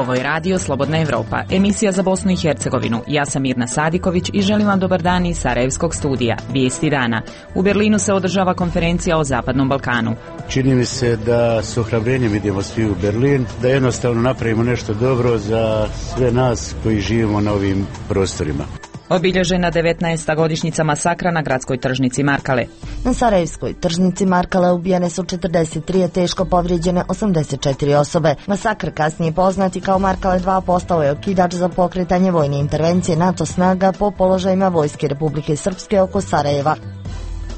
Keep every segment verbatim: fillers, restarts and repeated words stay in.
Ovo je radio Slobodna Evropa, emisija za Bosnu i Hercegovinu. Ja sam Mirna Sadiković i želim vam dobar dan iz Sarajevskog studija. Vijesti dana. U Berlinu se održava konferencija o Zapadnom Balkanu. Čini mi se da s ohrabrenjem idemo svi u Berlin, da jednostavno napravimo nešto dobro za sve nas koji živimo na ovim prostorima. Obilježena devetnaesta godišnjica masakra na gradskoj tržnici Markale. Na Sarajevskoj tržnici Markale ubijene su četrdeset tri, a teško povrijeđene osamdeset četiri osobe. Masakr, kasnije poznati kao Markale dva, postao je okidač za pokretanje vojne intervencije NATO snaga po položajima Vojske Republike Srpske oko Sarajeva.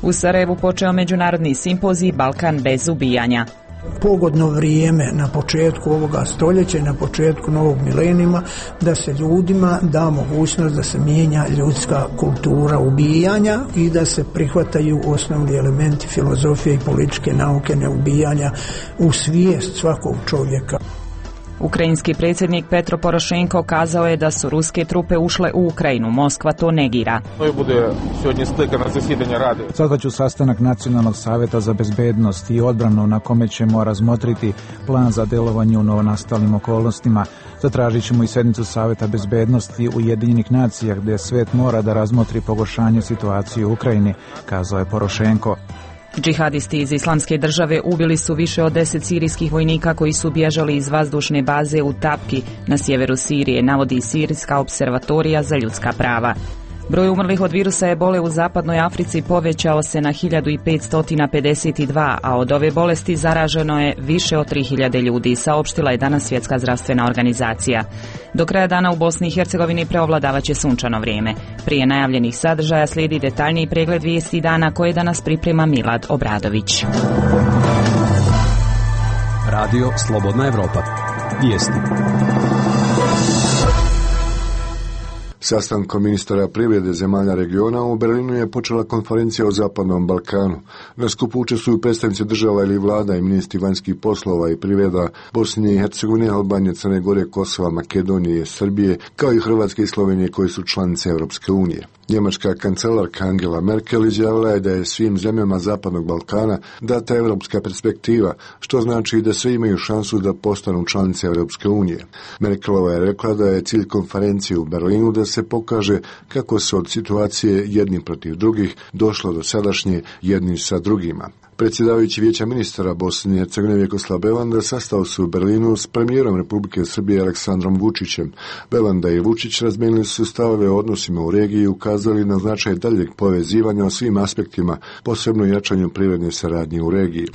U Sarajevu počeo međunarodni simpozij Balkan bez ubijanja. Pogodno vrijeme na početku ovoga stoljeća i na početku novog milenijuma da se ljudima da mogućnost da se mijenja ljudska kultura ubijanja i da se prihvataju osnovni elementi filozofije i političke nauke neubijanja u svijest svakog čovjeka. Ukrajinski predsjednik Petro Porošenko kazao je da su ruske trupe ušle u Ukrajinu. Moskva to negira. Sazvaću sastanak Nacionalnog savjeta za bezbednost i odbranu na kome ćemo razmotriti plan za djelovanje u novonastalim okolnostima. Zatražit ćemo i sjednicu Savjeta bezbednosti Ujedinjenih nacija gdje svijet mora da razmotri pogoršanje situacije u Ukrajini, kazao je Porošenko. Džihadisti iz Islamske države ubili su više od deset sirijskih vojnika koji su bježali iz vazdušne baze u Tapki na sjeveru Sirije, navodi Sirijska observatorija za ljudska prava. Broj umrlih od virusa ebole u zapadnoj Africi povećao se na hiljadu petsto pedeset dva, a od ove bolesti zaraženo je više od tri hiljade ljudi, saopštila je danas Svjetska zdravstvena organizacija. Do kraja dana u Bosni i Hercegovini preovladavaće sunčano vrijeme. Prije najavljenih sadržaja slijedi detaljniji pregled vijesti dana koje danas priprema Milad Obradović. Radio Slobodna Evropa. Vijesti. Sastankom ministara privrede zemalja regiona u Berlinu je počela konferencija o Zapadnom Balkanu. Na skupu učestvuju predstavnici država ili vlada i ministri vanjskih poslova i privreda Bosne i Hercegovine, Albanije, Crne Gore, Kosova, Makedonije, Srbije, kao i Hrvatske i Slovenije koji su članice Europske unije. Njemačka kancelarka Angela Merkel izjavila je da je svim zemljama Zapadnog Balkana data europska perspektiva, što znači da sve imaju šansu da postanu članice Europske unije. Merkelova je rekla da je cilj konferencije u Berlinu da se pokaže kako se od situacije jedni protiv drugih došlo do sadašnje jedni sa drugima. Predsjedavajući Vijeća ministara Bosne i Hercegovine Vjekoslav Belanda sastao se u Berlinu s premijerom Republike Srbije Aleksandrom Vučićem. Belanda i Vučić razmijenili su stavove o odnosima u regiji i ukazali na značaj daljeg povezivanja o svim aspektima, posebno jačanju privredne saradnje u regiji.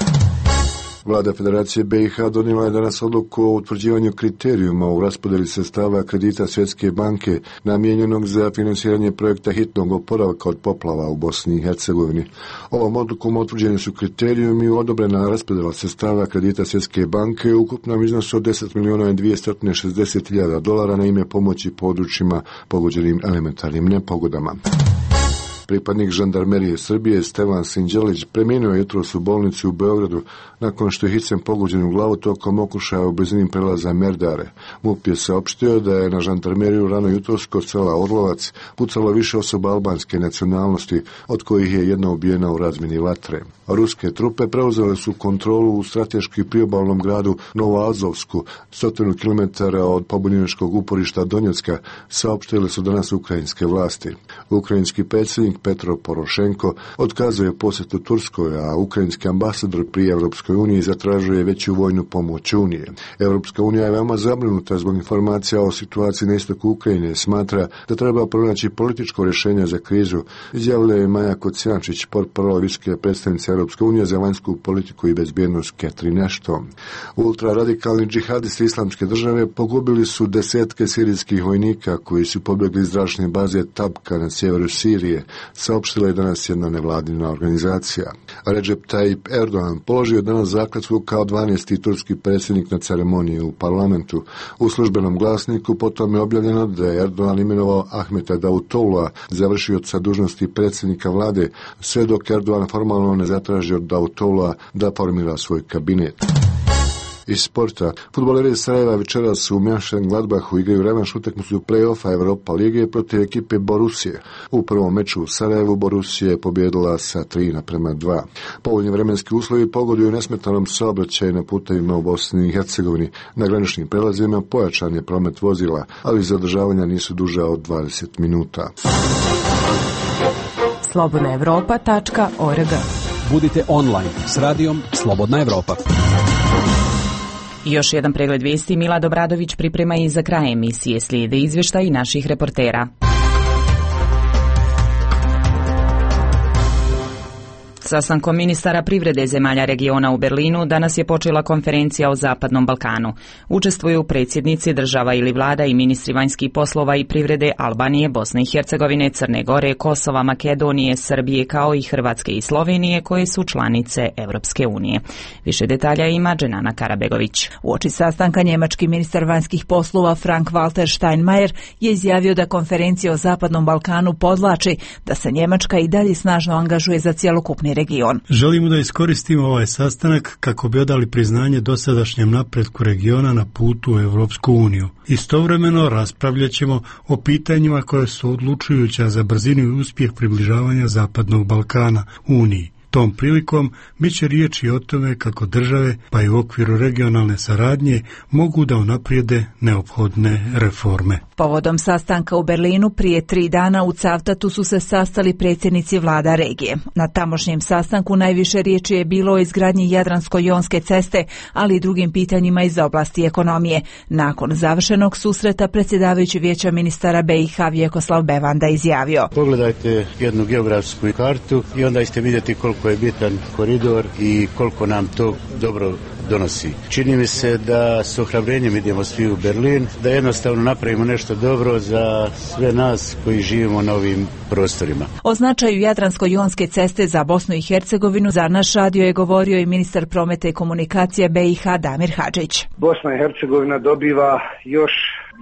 Vlada Federacije B i H donijela je danas odluku o utvrđivanju kriterijuma u raspodjeli sredstava kredita Svjetske banke namijenjenog za financiranje projekta hitnog oporavka od poplava u Bosni i Hercegovini. Ovom odlukom utvrđeni su kriterijumi i odobrena raspodjela sredstava kredita Svjetske banke u ukupnom iznosu od deset milijuna dvjesto šezdeset hiljada dolara na ime pomoći područjima pogođenim elementarnim nepogodama. Pripadnik žandarmerije Srbije Stevan Sinđelić preminuo je jutros u bolnici u Beogradu nakon što je hicem pogođen u glavu tokom okušaja u blizini prelaza Merdare. MUP je saopštio da je na žandarmeriju rano jutros kod sela Orlovac pucalo više osoba albanske nacionalnosti, od kojih je jedna ubijena u razmjeni vatre. Ruske trupe preuzele su kontrolu u strateški priobalnom gradu Novoazovsku, stotinu kilometara od pobunjeničkog uporišta Donjecka, saopštile su danas ukrajinske vlasti. Ukrajinski predsjednik Petro Porošenko otkazuje posjetu Turskoj, a ukrajinski ambasador pri Europskoj uniji zatražuje veću vojnu pomoć Unije. Europska unija je veoma zabrinuta zbog informacija o situaciji na istoku Ukrajine. Smatra da treba pronaći političko rješenje za krizu, izjavila je Maja Kocijančić, portparol visoke predstavnice Europske unije za vanjsku politiku i bezbjednost Catherine Ashton. Ultraradikalni džihadisti Islamske države pogubili su desetke sirijskih vojnika koji su pobjegli iz zračne baze Tabka na sjeveru Sirije, saopštila je danas jedna nevladina organizacija. Recep Tayyip Erdogan položio je danas zakletvu kao dvanaesti turski predsjednik na ceremoniji u parlamentu. U službenom glasniku potom je objavljeno da je Erdogan imenovao Ahmeta Davutoglua za vršioca dužnosti predsjednika vlade, sve dok Erdogan formalno ne zatraži od Davutoglua da formira svoj kabinet. Iz sporta, fudbaleri iz Sarajeva večeras u Mönchengladbachu igraju revanš utakmicu play-offa Europa lige protiv ekipe Borussije. U prvom meču u Sarajevu Borussija je pobjedila sa tri naprema dva. Povoljni vremenski uslovi pogoduju nesmetanom saobraćaju na putevima u Bosni i Hercegovini. Na graničnim prelazima pojačan je promet vozila, ali zadržavanja nisu duža od dvadeset minuta. slobodna europa tačka org. Budite online s radijom Slobodna Evropa. I još jedan pregled vijesti Milad Obradović priprema i za kraj emisije. Slijede izvještaj naših reportera. Sastankom ministara privrede zemalja regiona u Berlinu danas je počela konferencija o Zapadnom Balkanu. Učestvuju predsjednici država ili vlada i ministri vanjskih poslova i privrede Albanije, Bosne i Hercegovine, Crne Gore, Kosova, Makedonije, Srbije kao i Hrvatske i Slovenije koje su članice Europske unije. Više detalja ima Dženana Karabegović. Uoči sastanka njemački ministar vanjskih poslova Frank-Walter Steinmeier je izjavio da konferencija o Zapadnom Balkanu podvlači da se Njemačka i dalje snažno angažuje za cjelokupni region. Želimo da iskoristimo ovaj sastanak kako bi odali priznanje dosadašnjem napretku regiona na putu u Europsku uniju. Istovremeno raspravljat ćemo o pitanjima koje su odlučujuća za brzinu i uspjeh približavanja Zapadnog Balkana Uniji. Tom prilikom bit će riječi o tome kako države, pa i u okviru regionalne saradnje, mogu da unaprijede neophodne reforme. Povodom sastanka u Berlinu prije tri dana u Cavtatu su se sastali predsjednici vlada regije. Na tamošnjem sastanku najviše riječi je bilo o izgradnji Jadransko-jonske ceste, ali i drugim pitanjima iz oblasti ekonomije. Nakon završenog susreta predsjedavajući vijeća ministara B i H Vjekoslav Bevanda izjavio: Pogledajte jednu geografsku kartu i onda ćete vidjeti koliko je bitan koridor i koliko nam to dobro donosi. Čini mi se da s ohrabrenjem idemo svi u Berlin, da jednostavno napravimo nešto dobro za sve nas koji živimo na ovim prostorima. O značaju Jadransko-jonske ceste za Bosnu i Hercegovinu za naš radio je govorio i ministar prometa i komunikacija B i H Damir Hadžić. Bosna i Hercegovina dobiva još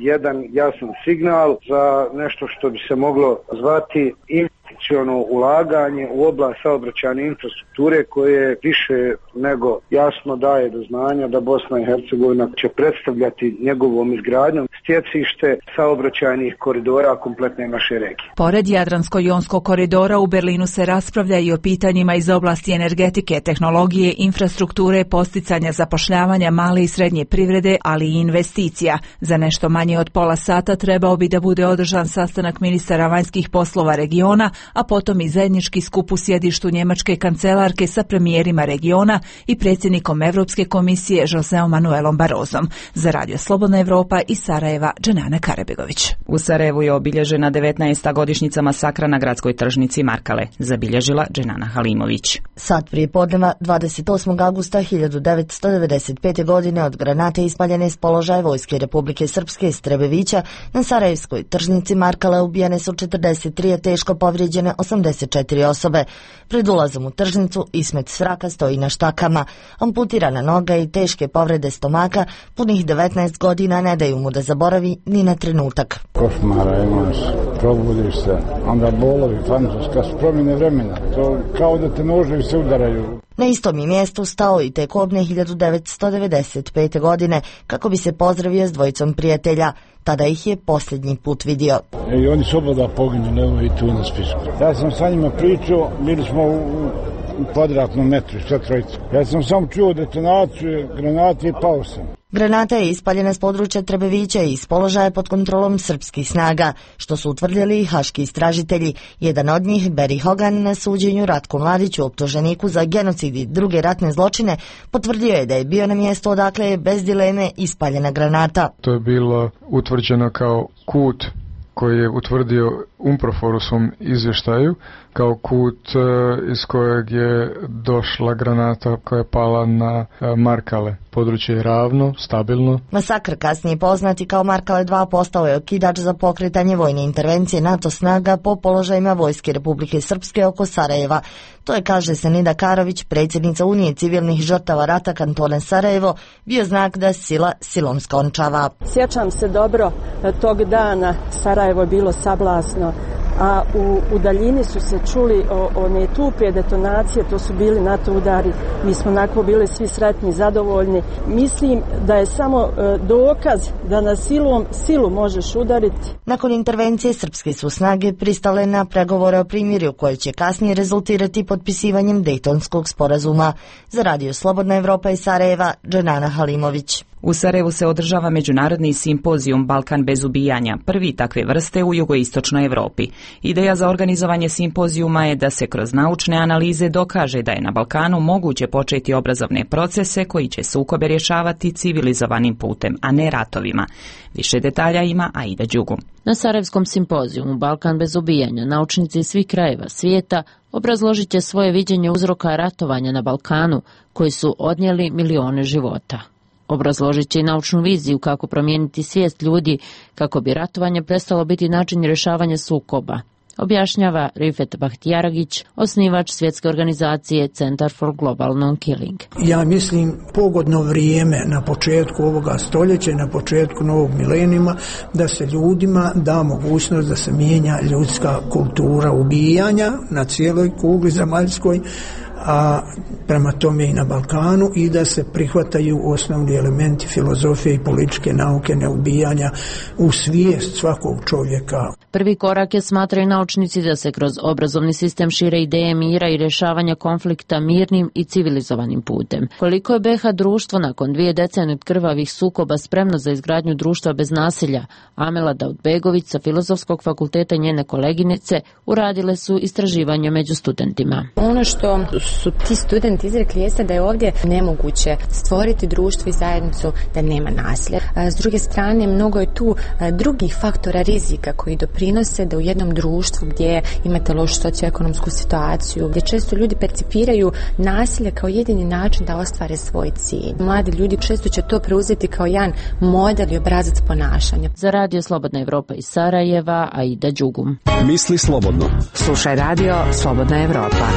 jedan jasan signal za nešto što bi se moglo zvati investiciono ulaganje u oblast saobraćajne infrastrukture koje više nego jasno daje do znanja da Bosna i Hercegovina će predstavljati njegovom izgradnjom stjecište saobraćajnih koridora kompletne naše regije. Pored Jadransko-jonskog koridora u Berlinu se raspravlja i o pitanjima iz oblasti energetike, tehnologije, infrastrukture, posticanja zapošljavanja male i srednje privrede, ali i investicija. Za nešto manje od pola sata trebao bi da bude održan sastanak ministara vanjskih poslova regiona, a potom i zajednički skup u sjedištu njemačke kancelarke sa premijerima regiona i predsjednikom Europske komisije Joseom Manuelom Barrosom. Za Radio Slobodna Evropa iz Sarajeva, Dženana Karabegović. U Sarajevu je obilježena devetnaesta godišnjica masakra na gradskoj tržnici Markale, zabilježila Dženana Halimović. Sat prije podneva dvadeset osmog avgusta hiljadu devetsto devedeset pete. godine od granate ispaljene s položaja Vojske Republike Srpske iz Trebevića na sarajevskoj tržnici Markale ubijene su četrdeset tri, a teško povrijeđene osamdeset četiri osobe. Pred ulazom u tržnicu Ismet Svraka stoji na štakama. Amputirana noga i teške povrede stomaka punih devetnaest godina ne daju mu da zaboravi ni na trenutak. Košmara imaš, probudiš se, onda bolovi, fantastička su promjene vremena. To kao da te noževi se udaraju. Na istom je mjestu stao i te kobne hiljadu devetsto devedeset pete. godine kako bi se pozdravio s dvojicom prijatelja. Tada ih je posljednji put vidio. I oni su oboda poginuli, evo i tu na spisku. Ja sam sa njima pričao, bili smo u, u kvadratnom metru, sve trojice. Ja sam sam čuo detonaciju, granate i pao sam. Granata je ispaljena s područja Trebevića i iz položaja pod kontrolom srpskih snaga, što su utvrdili i haški istražitelji. Jedan od njih, Beri Hogan, na suđenju Ratku Mladiću, optuženiku za genocid i druge ratne zločine, potvrdio je da je bio na mjestu odakle je bez dileme ispaljena granata. To je bilo utvrđeno kao kut koji je utvrdio UNPROFOR u svom izvještaju kao kut iz kojeg je došla granata koja je pala na Markale. Područje je ravno, stabilno. Masakr, kasnije poznati kao Markale dva, postao je okidač za pokretanje vojne intervencije NATO snaga po položajima Vojske Republike Srpske oko Sarajeva. To je, kaže Senida Karović, predsjednica Unije civilnih žrtava rata kantona Sarajevo, bio znak da sila silom skončava. Sjećam se dobro tog dana, Sarajevo je bilo sablasno, a u, u daljini su se čuli o, one tupe detonacije, to su bili NATO udari. Mi smo onako bili svi sretni, zadovoljni. Mislim da je samo e, dokaz da na silom silu možeš udariti. Nakon intervencije srpske su snage pristale na pregovore o primirju koje će kasnije rezultirati potpisivanjem Dejtonskog sporazuma. Za Radio Slobodna Evropa iz Sarajeva, Dženana Halimović. U Sarajevu se održava međunarodni simpozijum Balkan bez ubijanja, prvi takve vrste u jugoistočnoj Evropi. Ideja za organizovanje simpozijuma je da se kroz naučne analize dokaže da je na Balkanu moguće početi obrazovne procese koji će sukobe rješavati civilizovanim putem, a ne ratovima. Više detalja ima Aida Đugum. Na Sarajevskom simpozijumu Balkan bez ubijanja naučnici iz svih krajeva svijeta obrazložit će svoje viđenje uzroka ratovanja na Balkanu koji su odnijeli milione života. Obrazložit će i naučnu viziju kako promijeniti svijest ljudi kako bi ratovanje prestalo biti način rješavanja sukoba, objašnjava Rifet Bahtijaragić, osnivač svjetske organizacije Center for Global Non-Killing. Ja mislim pogodno vrijeme na početku ovoga stoljeća, na početku novog milenijuma, da se ljudima da mogućnost da se mijenja ljudska kultura ubijanja na cijeloj kugli zemaljskoj, a prema tome i na Balkanu, i da se prihvataju osnovni elementi filozofije i političke nauke neubijanja u svijest svakog čovjeka. Prvi korak je, smatraju naučnici, da se kroz obrazovni sistem šire ideje mira i rješavanja konflikta mirnim i civilizovanim putem. Koliko je B iH društvo nakon dvije decenije od krvavih sukoba spremno za izgradnju društva bez nasilja, Amela Daudbegović sa Filozofskog fakulteta i njene koleginice uradile su istraživanje među studentima. Ono što su ti studenti izrekli jeste da je ovdje nemoguće stvoriti društvo i zajednicu da nema nasilja. S druge strane, mnogo je tu drugih faktora rizika koji doprinose da u jednom društvu gdje imate lošu socioekonomsku situaciju, gdje često ljudi percipiraju nasilje kao jedini način da ostvare svoj cilj. Mladi ljudi često će to preuzeti kao jedan model i obrazac ponašanja. Za Radio Slobodna Evropa iz Sarajeva, Aida Đugum. Misli slobodno. Slušaj Radio Slobodna Evropa.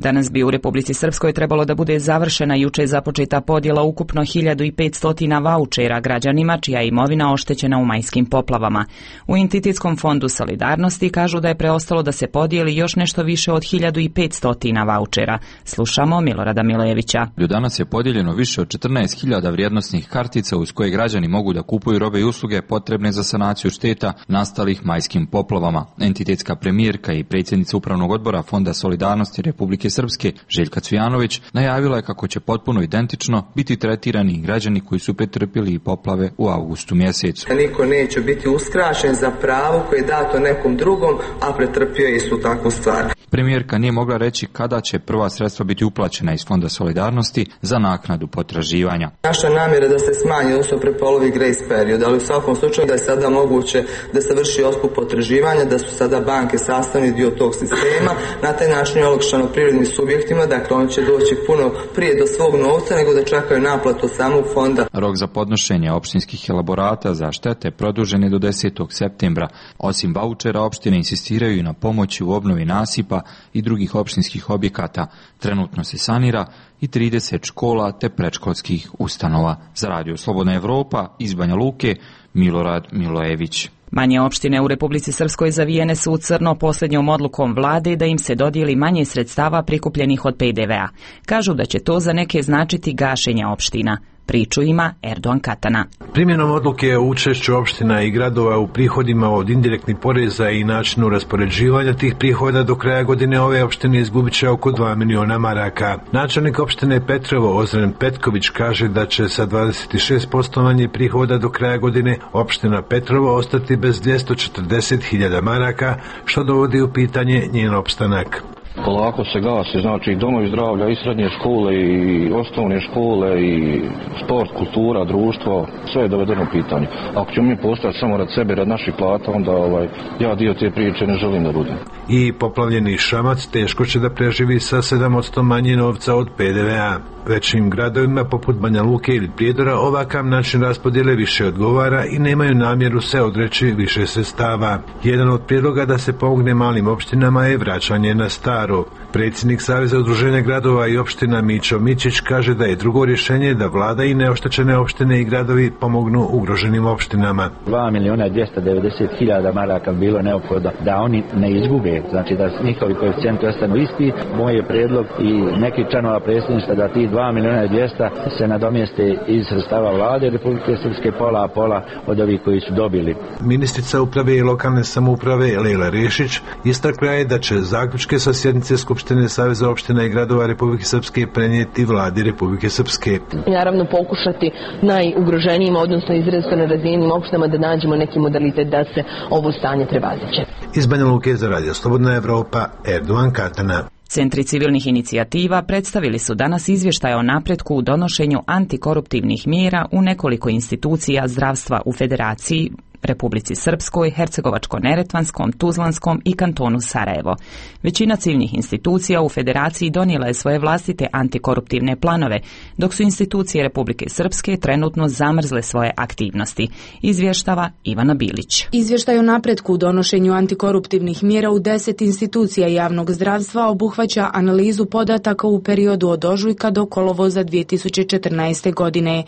Danas bi u Republici Srpskoj trebalo da bude završena juče započeta podjela ukupno hiljadu petsto vaučera građanima čija je imovina oštećena u majskim poplavama. U Entitetskom fondu solidarnosti kažu da je preostalo da se podijeli još nešto više od hiljadu petsto vaučera. Slušamo Milorada Milojevića. Danas je podijeljeno više od četrnaest hiljada vrijednosnih kartica uz koje građani mogu da kupuju robe i usluge potrebne za sanaciju šteta nastalih majskim poplavama. Entitetska premijerka i predsjednica Upravnog odbora Fonda solidarnosti Republike Srpske, Željka Cvijanović, najavila je kako će potpuno identično biti tretirani građani koji su pretrpjeli poplave u avgustu mjesecu. Niko neće biti uskraćen za pravo koje je dato nekom drugom, a pretrpio je istu takvu stvar. Premijerka nije mogla reći kada će prva sredstva biti uplaćena iz Fonda solidarnosti za naknadu potraživanja. Naša namjera je da se smanji, odnosno prepolovi grace period, ali u svakom slučaju da je sada moguće da se vrši otkup potraživanja, da su sada banke sastavni dio tog sistema. Na taj način je olakšano privrednim subjektima, dakle oni će doći puno prije do svog novca nego da čekaju naplatu samog fonda. Rok za podnošenje opštinskih elaborata za štete produžen je do desetog septembra. Osim vaučera, opštine insistiraju i na pomoći u obnovi nasipa i drugih opštinskih objekata. Trenutno se sanira i trideset škola te predškolskih ustanova. Za Radio Slobodna Evropa iz Banja Luke, Milorad Milojević. Manje opštine u Republici Srpskoj zavijene su u crno posljednjom odlukom vlade da im se dodijeli manje sredstava prikupljenih od pe de ve a. Kažu da će to za neke značiti gašenje opština. Priču ima Erdogan Katana. Primjenom odluke o učešću opština i gradova u prihodima od indirektnih poreza i načinu raspoređivanja tih prihoda do kraja godine ove opštine izgubit će oko dva miliona maraka. Načelnik opštine Petrovo Ozren Petković kaže da će sa dvadeset šest posto manje prihoda do kraja godine opština Petrovo ostati bez dvjesto četrdeset hiljada maraka, što dovodi u pitanje njen opstanak. Polako se gasi, znači domovi zdravlja i srednje škole i osnovne škole i sport, kultura, društvo, sve je dovedeno u pitanje. Ako ćemo mi postati samo rad sebe, rad naših plata, onda ovaj, ja dio te priče ne želim da budem. I poplavljeni Šamac teško će da preživi sa sedam posto manje novca od P D V A. Većim gradovima poput Banja Luke ili Prijedora ovakav način raspodjele više odgovara i nemaju namjeru se odreći više sredstava. Jedan od prijedloga da se pomogne malim opštinama je vraćanje na staro. Predsjednik Saveza udruženja gradova i opština Mićo Mićić kaže da je drugo rješenje da vlada i neoštećene opštine i gradovi pomognu ugroženim opštinama. dva milijuna dvjesto devedeset hiljada maraka bilo neophodno da oni ne izgube, znači da njihovi koeficijenti ostanu isti. Moj je prijedlog i neki članova predsjedništva da ti dva milijuna dvjesto se nadomjeste iz sredstava vlade Republike Srpske, pola a pola od ovih koji su dobili. Ministrica uprave i lokalne samouprave Lejla Rešić istakla je da će zaključke sa sjednice Skupštine Saveza opština i gradova Republike Srpske prenijeti vladi Republike Srpske. I naravno pokušati najugroženijim, odnosno izrazito nerazvijenim opštinama da nađemo neki modalitet da se ovo stanje prevaziđe. Iz Banja Luke za Radio Slobodna Evropa, Erdogan Katana. Centri civilnih inicijativa predstavili su danas izvještaj o napretku u donošenju antikoruptivnih mjera u nekoliko institucija zdravstva u Federaciji, Republici Srpskoj, Hercegovačko-Neretvanskom, Tuzlanskom i kantonu Sarajevo. Većina civilnih institucija u Federaciji donijela je svoje vlastite antikoruptivne planove, dok su institucije Republike Srpske trenutno zamrzle svoje aktivnosti. Izvještava Ivana Bilić. Izvještaj o napretku u donošenju antikoruptivnih mjera u deset institucija javnog zdravstva obuhvaća analizu podataka u periodu od ožujka do kolovoza dvije tisuće četrnaeste. godine.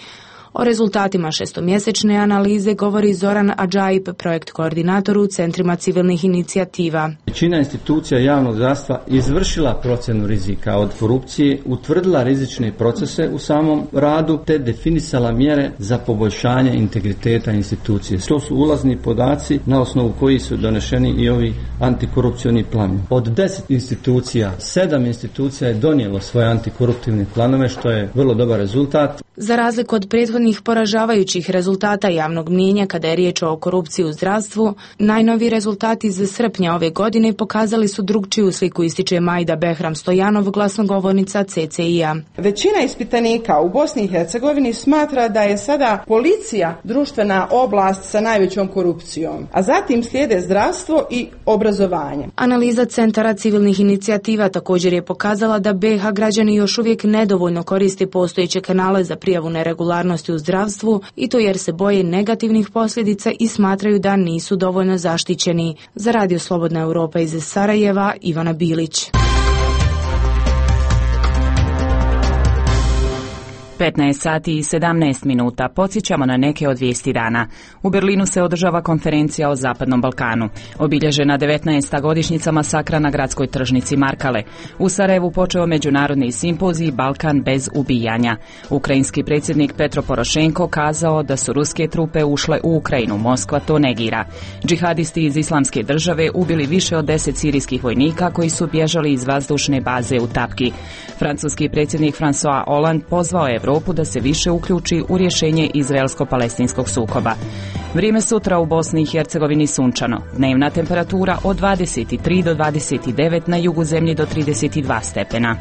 O rezultatima šestomjesečne analize govori Zoran Adžaib, projekt koordinator u centrima civilnih inicijativa. Većina institucija javnog zdravstva izvršila procjenu rizika od korupcije, utvrdila rizične procese u samom radu te definisala mjere za poboljšanje integriteta institucije. To su ulazni podaci na osnovu kojih su donešeni i ovi antikorupcioni planovi. Od deset institucija, sedam institucija je donijelo svoje antikoruptivne planove, što je vrlo dobar rezultat. Za razliku od prethodnih poražavajućih rezultata javnog mnijenja kada je riječ o korupciji u zdravstvu, najnoviji rezultati iz srpnja ove godine pokazali su drugčiju sliku, ističe Majda Behram Stojanov, glasnogovornica C C I-a. Većina ispitanika u Bosni i Hercegovini smatra da je sada policija društvena oblast sa najvećom korupcijom, a zatim slijede zdravstvo i obrazovanje. Analiza centara civilnih inicijativa također je pokazala da B iH građani još uvijek nedovoljno koriste postojeće kanale za prijavu neregularnosti u zdravstvu i to jer se boje negativnih posljedica i smatraju da nisu dovoljno zaštićeni. Za Radio Slobodna Europa iz Sarajeva, Ivana Bilić. petnaest sati i sedamnaest minuta. Podsjećamo na neke od vijesti dana. U Berlinu se održava konferencija o Zapadnom Balkanu. Obilježena devetnaesta godišnjica masakra na gradskoj tržnici Markale. U Sarajevu počeo međunarodni simpozij Balkan bez ubijanja. Ukrajinski predsjednik Petro Porošenko kazao da su ruske trupe ušle u Ukrajinu. Moskva to negira. Džihadisti iz Islamske države ubili više od deset sirijskih vojnika koji su bježali iz vazdušne baze u Tapki. Francuski predsjednik François Hollande pozvao je Europu da se više uključi u rješenje izraelsko-palestinskog sukoba. Vrijeme sutra u Bosni i Hercegovini sunčano. Dnevna temperatura od dvadeset tri do dvadeset devet, na jugu zemlje do trideset dva stepena.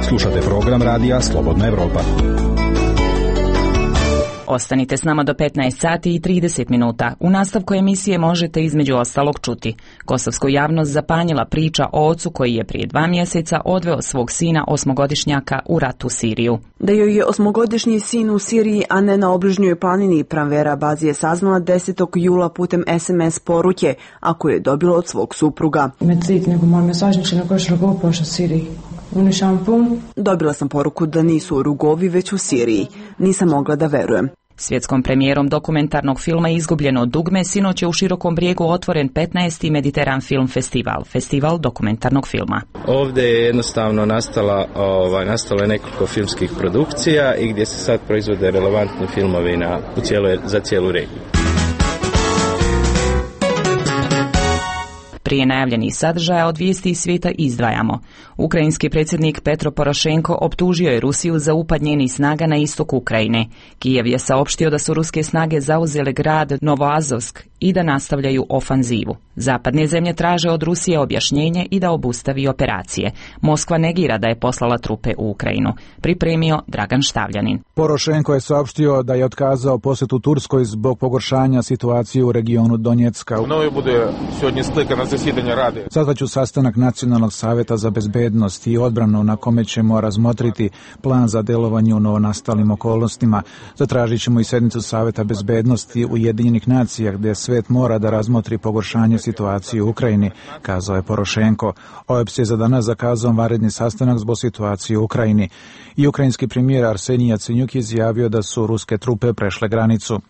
Slušate program radija Slobodna Evropa. Ostanite s nama do petnaest sati i trideset minuta. U nastavku emisije možete između ostalog čuti. Kosovsku javnost zapanjila priča o ocu koji je prije dva mjeseca odveo svog sina osmogodišnjaka u rat u Siriju. Da joj je osmogodišnji sin u Siriji, a ne na obližnjoj planini, Pranvera Bazi je saznala desetog jula putem es em es poruke, a koju je dobila od svog supruga. Dobila sam poruku da nisu u Rugovi, već u Siriji. Nisam mogla da verujem. Svjetskom premijerom dokumentarnog filma Izgubljeno dugme sinoć je u Širokom Brijegu otvoren petnaesti Mediteran Film Festival, festival dokumentarnog filma. Ovdje je jednostavno nastala, ovaj, nastalo je nekoliko filmskih produkcija i gdje se sad proizvode relevantni filmovi na, u cijeloj, za cijelu regiju. Prije najavljenih sadržaja od vijesti iz svijeta izdvajamo. Ukrajinski predsjednik Petro Porošenko optužio je Rusiju za upad njenih snaga na istok Ukrajine. Kijev je saopštio da su ruske snage zauzele grad Novoazovsk i da nastavljaju ofanzivu. Zapadne zemlje traže od Rusije objašnjenje i da obustavi operacije. Moskva negira da je poslala trupe u Ukrajinu. Pripremio Dragan Štavljanin. Porošenko je saopštio da je otkazao posjetu Turskoj zbog pogoršanja situacije u regionu Donjecka. Мною буде сьогодні скликане засідання Ради. Sazvaću sastanak Nacionalnog savjeta za bezbednost i odbranu na kome ćemo razmotriti plan za delovanje u novonastalim okolnostima. Zatražit ćemo i sednicu Savjeta bezbednosti Ujedinjenih nacija gdje svet mora da razmotri pogoršanje situacije u Ukrajini, kazao je Porošenko. O E P S je za danas zakazao vanredni sastanak zbog situacije u Ukrajini. I ukrajinski premijer Arsenij Jacenjuk izjavio da su ruske trupe prešle granicu.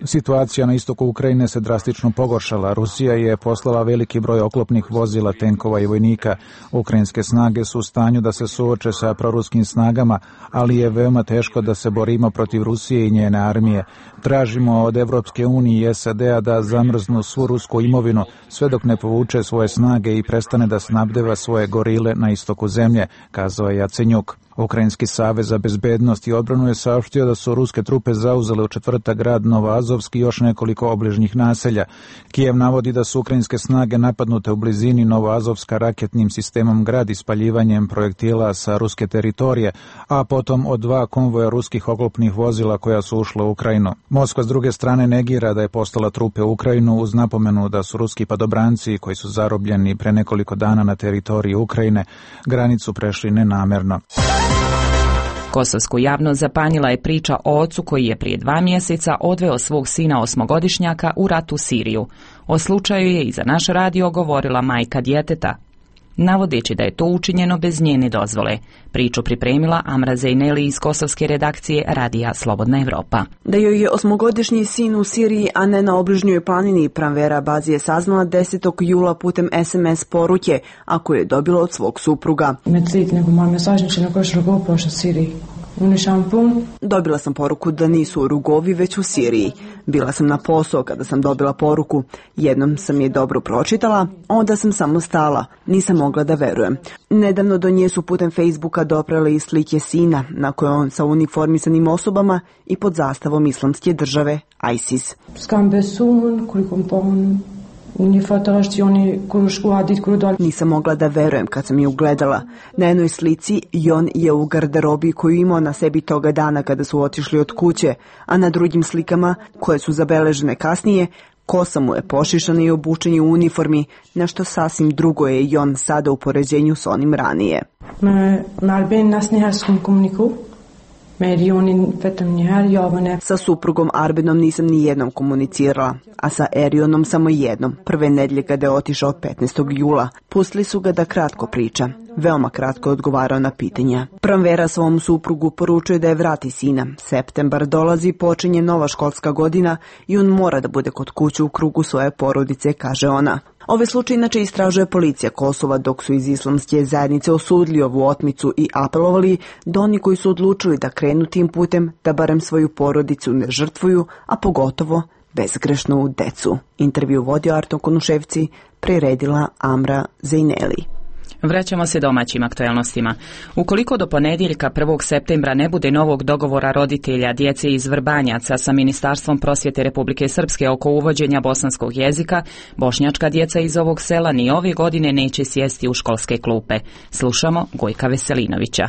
Situacija na istoku Ukrajine se drastično pogoršala. Rusija je poslala veliki broj oklopnih vozila, tenkova i vojnika. Ukrajinske snage su u stanju da se suoče sa proruskim snagama, ali je veoma teško da se borimo protiv Rusije i njene armije. Tražimo od Evropske unije i S A D-a da zamrznu svu rusku imovinu, sve dok ne povuče svoje snage i prestane da snabdeva svoje gorile na istoku zemlje, kazao je Jacenjuk. Ukrajinski savez za bezbednost i odbranu je saopštio da su ruske trupe zauzele u četvrtak grad Novoazovski i još nekoliko obližnjih naselja. Kijev navodi da su ukrajinske snage napadnute u blizini Novoazovska raketnim sistemom grad ispaljivanjem projektila sa ruske teritorije, a potom od dva konvoja ruskih oklopnih vozila koja su ušla u Ukrajinu. Moskva s druge strane negira da je poslala trupe u Ukrajinu uz napomenu da su ruski padobranci koji su zarobljeni pre nekoliko dana na teritoriji Ukrajine granicu prešli nenamerno. Kosovsku javnost zapanjila je priča o ocu koji je prije dva mjeseca odveo svog sina osmogodišnjaka u rat u Siriju. O slučaju je i za naš radio govorila majka djeteta, navodeći da je to učinjeno bez njene dozvole. Priču pripremila Amra Zejneli iz kosovske redakcije radija Slobodna Evropa. Da joj je osmogodišnji sin u Siriji, a ne na obližnjoj planini, Pranvera Bazi je saznala desetog jula putem S M S poruke, a koju je dobila od svog supruga. Dobila sam poruku da nisu u Rugovi, već u Siriji. Bila sam na posao kada sam dobila poruku. Jednom sam je dobro pročitala, onda sam samo stala. Nisam mogla da verujem. Nedavno do nje su putem Facebooka doprale i slike sina, na kojoj on sa uniformisanim osobama i pod zastavom islamske države ISIS. Nisam mogla da verujem kad sam je ugledala. Na jednoj slici Jon je u garderobi koju imao na sebi toga dana kada su otišli od kuće, a na drugim slikama, koje su zabeležene kasnije, kosa mu je pošišana i obučen je u uniformi, nešto sasvim drugo je Jon sada u poređenju s onim ranije. Sa suprugom Arbenom nisam ni jednom komunicirala, a sa Erionom samo jednom, prve nedlje kada je otišao petnaestog jula. Pustili su ga da kratko priča. Veoma kratko je odgovarao na pitanja. Pranvera svom suprugu poručuje da je vrati sina. Septembar dolazi, počinje nova školska godina i on mora da bude kod kuće u krugu svoje porodice, kaže ona. Ove slučaje inače istražuje policija Kosova, dok su iz islamske zajednice osudili ovu otmicu i apelovali da oni koji su odlučili da krenu tim putem, da barem svoju porodicu ne žrtvuju, a pogotovo bezgrešnu decu. Intervju vodio Arto Konuševci, priredila Amra Zejneli. Vraćamo se domaćim aktualnostima. Ukoliko do ponedjeljka prvog septembra ne bude novog dogovora roditelja djece iz Vrbanjaca sa Ministarstvom prosvjete Republike Srpske oko uvođenja bosanskog jezika, bošnjačka djeca iz ovog sela ni ove godine neće sjesti u školske klupe. Slušamo Gojka Veselinovića.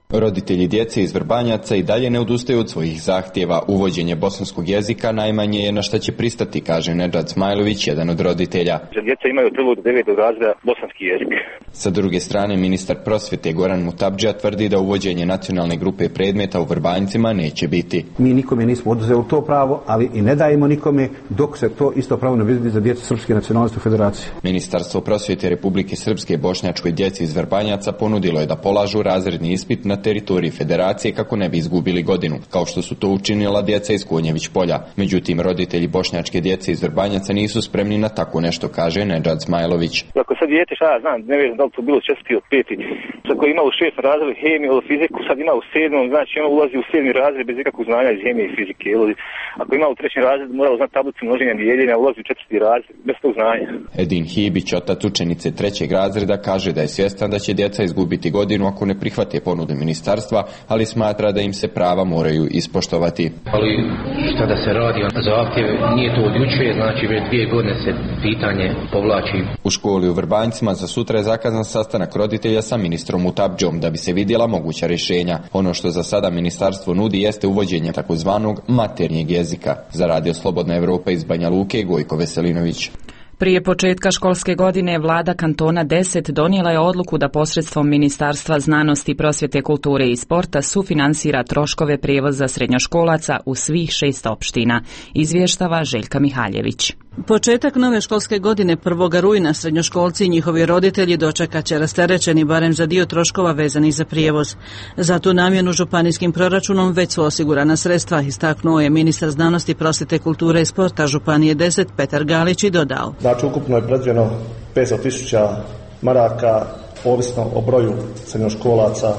Roditelji djece iz Vrbanjaca i dalje ne odustaju od svojih zahtjeva. Uvođenje bosanskog jezika najmanje je na šta će pristati, kaže Nedžad Smajlović, jedan od roditelja. Djeca imaju od prvog do devetog razreda bosanski jezik. Sa druge strane, ministar prosvjete Goran Mutabdžija tvrdi da uvođenje nacionalne grupe predmeta u Vrbanjcima neće biti. Mi nikome nismo oduzeli to pravo, ali i ne dajemo nikome dok se to isto pravo ne vidi za djecu srpske nacionalnosti u federaciji. Ministarstvo prosvjete Republike Srpske bošnjačkoj djeci iz Vrbanjaca ponudilo je da polažu razredni ispit na teritoriji federacije kako ne bi izgubili godinu, kao što su to učinila djeca iz Konjević polja. Međutim, roditelji bošnjačke djece iz Vrbanjaca nisu spremni na tako nešto, kaže Nedžad Smajlović. Ako sad dijete, šta ja znam, ne znam da li to bilo četvrti od peti, ako ima u šestom razredu hemiju ili fiziku, sad ima u sedmom, znači ono ulazi u sedmi razred bez ikakvog znanja iz hemije i fizike. ako ima u trećem razredu, moralo znati tablicu množenja dijeljenja, ulazi u četvrti razred, bez tog znanja. Edin Hibić, otac učenice trećeg razreda, kaže da je svjestan da će djeca izgubiti godinu ako ne prihvate ponudu ministarstva, ali smatra da im se prava moraju ispoštovati. Ali šta da se radi, zahtjev nije to od juče, znači već dvije godine se pitanje povlači. U školi u Vrbanjcima za sutra je zakazan sastanak roditelja sa ministrom Mutabdžom da bi se vidjela moguća rješenja. Ono što za sada ministarstvo nudi jeste uvođenje takozvanog maternjeg jezika. Za Radio Slobodna Evropa iz Banja Luke, Gojko Veselinović. Prije početka školske godine vlada kantona deset donijela je odluku da posredstvom Ministarstva znanosti, prosvjete, kulture i sporta sufinansira troškove prijevoza srednjoškolaca u svih šest opština, izvještava Željka Mihaljević. Početak nove školske godine prvog rujna srednjoškolci i njihovi roditelji dočekat će rasterećeni barem za dio troškova vezanih za prijevoz. Za tu namjenu županijskim proračunom već su osigurana sredstva, istaknuo je ministar znanosti, prosvjete, kulture i sporta Županije deset Petar Galić i dodao. Znači ukupno je predviđeno petsto tisuća maraka, ovisno o broju srednjoškolaca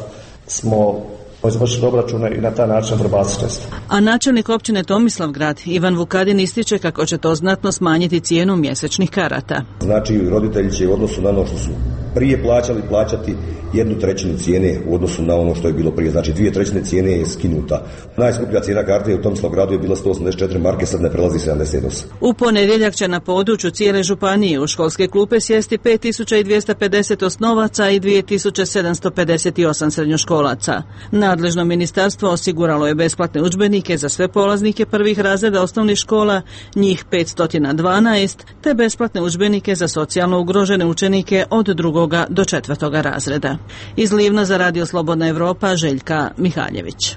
smo izvršili obračune i na taj način prebaciti sredstva. A načelnik općine Tomislavgrad Ivan Vukadin ističe kako će to znatno smanjiti cijenu mjesečnih karata. Znači roditelji će u odnosu na ono što su prije plaćali plaćati jednu trećinu cijene u odnosu na ono što je bilo prije. Znači dvije trećine cijene je skinuta. Najskuplja cijena karte u Tomislavgradu je bila sto osamdeset četiri marke, sad ne prelazi sedamdeset osam. U ponedjeljak će na području cijele županije u školske klupe sjesti pet tisuća dvjesto pedeset osnovaca i dvije tisuće sedamsto pedeset osam srednjoškolaca. Nadležno ministarstvo osiguralo je besplatne udžbenike za sve polaznike prvih razreda osnovnih škola, njih petsto dvanaest, te besplatne udžbenike za socijalno ugrožene učenike od drugoga do četvrtoga razreda. Iz Livna za Radio Slobodna Evropa, Željka Mihaljević.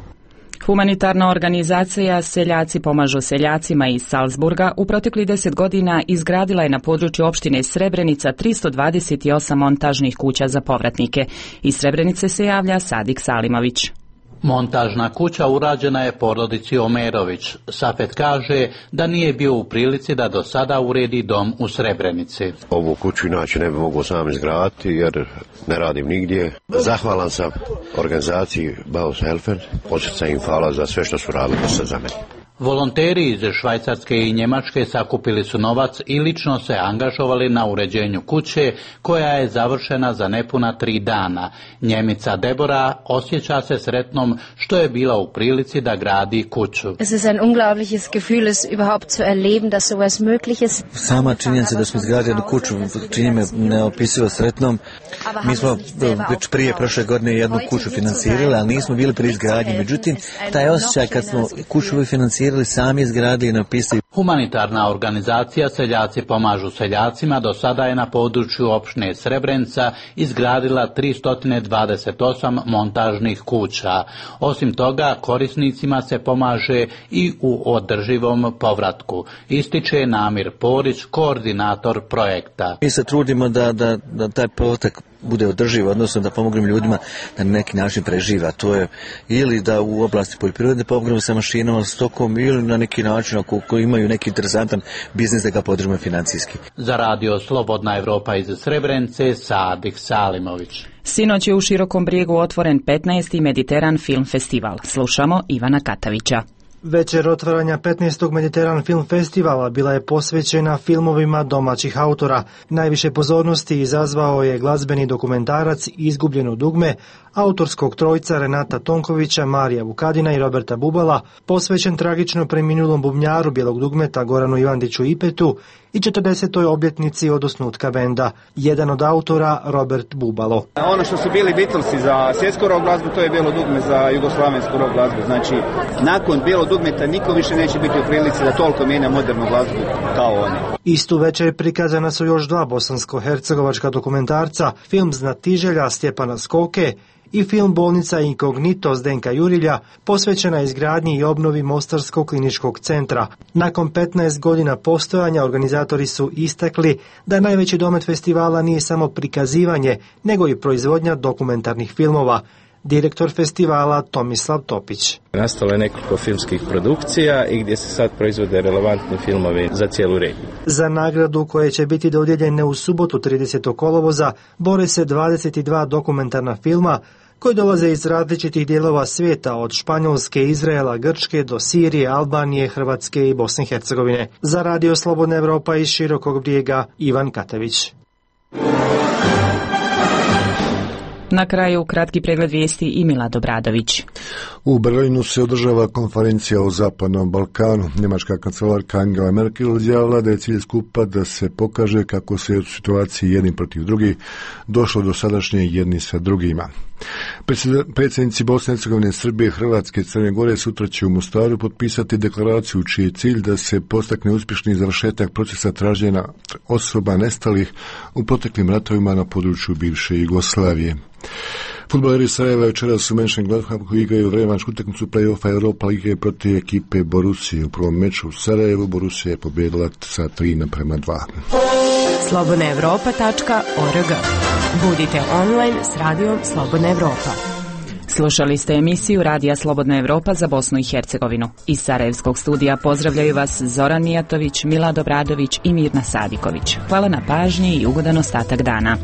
Humanitarna organizacija Seljaci pomažu seljacima iz Salzburga u proteklih deset godina izgradila je na području opštine Srebrenica tristo dvadeset osam montažnih kuća za povratnike. Iz Srebrenice se javlja Sadik Salimović. Montažna kuća urađena je porodici Omerović. Safet kaže da nije bio u prilici da do sada uredi dom u Srebrenici. Ovu kuću inače ne bi mogao sam izgraditi jer ne radim nigdje. Zahvalan sam organizaciji Baus Helfer. Osjećam im hvala za sve što su radili za mene. Volonteri iz Švajcarske i Njemačke sakupili su novac i lično se angažovali na uređenju kuće koja je završena za nepuna tri dana. Njemica Debora osjeća se sretnom što je bila u prilici da gradi kuću. Es ist ein unglaubliches Gefühl, es überhaupt zu erleben, dass sowas möglich ist. Sama činjenica da smo izgradili jednu kuću čini me neopisivo sretnom. Mi smo već prije prošle godine jednu kuću financirali, ali nismo bili pri izgradnji. Međutim, taj osjećaj kad smo kuću financirali sami izgradili i napisali. Humanitarna organizacija Seljaci pomažu seljacima do sada je na području opštine Srebrenica izgradila tristo dvadeset osam montažnih kuća. Osim toga, korisnicima se pomaže i u održivom povratku, ističe Namir Porić, koordinator projekta. Mi se trudimo da, da, da taj povratak bude održiv, odnosno da pomognemo ljudima da na neki način preživa. To je ili da u oblasti poljoprivrede pomognemo sa mašinama, stokom ili na neki način ako, ako imaju neki interesantan biznis da ga podržimo financijski. Za Radio Slobodna Evropa iz Srebrenice, Sadik Salimović. Sinoć je u Širokom Brijegu otvoren petnaesti Mediteran film festival. Slušamo Ivana Katavića. Večer otvaranja petnaestog Mediteran film festivala bila je posvećena filmovima domaćih autora. Najviše pozornosti izazvao je glazbeni dokumentarac Izgubljeno dugme autorskog trojca Renata Tonkovića, Marija Vukadina i Roberta Bubala, posvećen tragično preminulom bubnjaru Bijelog dugmeta Goranu Ivandiću Ipetu i četrdesetoj obljetnici od osnutka benda. Jedan od autora, Robert Bubalo. Ono što su bili Beatlesi za svjetsku rock glazbu, to je Bijelo dugme za jugoslavensku rock glazbu. Znači, nakon Bijelog dugmeta niko više neće biti u prilici da toliko mijenja modernu glazbu kao oni. Istu večer prikazana su još dva bosansko-hercegovačka dokumentarca, film Znatiželja Stjepana Skoke i film Bolnica Inkognito Zdenka Jurilja, posvećena izgradnji i obnovi Mostarskog kliničkog centra. Nakon petnaest godina postojanja organizatori su istakli da najveći domet festivala nije samo prikazivanje, nego i proizvodnja dokumentarnih filmova. Direktor festivala Tomislav Topić. Nastalo je nekoliko filmskih produkcija i gdje se sad proizvode relevantni filmovi za cijelu regiju. Za nagradu koje će biti dodijeljene u subotu tridesetog kolovoza bore se dvadeset dva dokumentarna filma, koji dolaze iz različitih dijelova svijeta, od Španjolske, Izraela, Grčke do Sirije, Albanije, Hrvatske i Bosne i Hercegovine. Za Radio Slobodna Evropa iz Širokog Brijega, Ivan Katević. Na kraju kratki pregled vijesti i Milad Obradović. U Berlinu se održava konferencija o Zapadnom Balkanu. Njemačka kancelarka Angela Merkel izjavila da je cilj skupa da se pokaže kako se u situaciji jedni protiv drugih došlo do sadašnje jedni sa drugima. Predsjednici Bosne i Hercegovine, Srbije, Hrvatske i Crne Gore sutra će u Mostaru potpisati deklaraciju čiji je cilj da se postakne uspješni završetak procesa traženja osoba nestalih u proteklim ratovima na području bivše Jugoslavije. Fudbaleri Sarajeva večeras u Mönchengladbachu igraju revanšku utakmicu play-offa Europa lige protiv ekipe Borussije. U prvom meču u Sarajevu Borussija je pobijedila sa tri naprema dva. slobodna evropa tačka org. Budite online s radijom Slobodna Evropa. Slušali ste emisiju Radija Slobodna Evropa za Bosnu i Hercegovinu. Iz Sarajevskog studija pozdravljaju vas Zoran Mijatović, Milad Obradović i Mirna Sadiković. Hvala na pažnji i ugodan ostatak dana.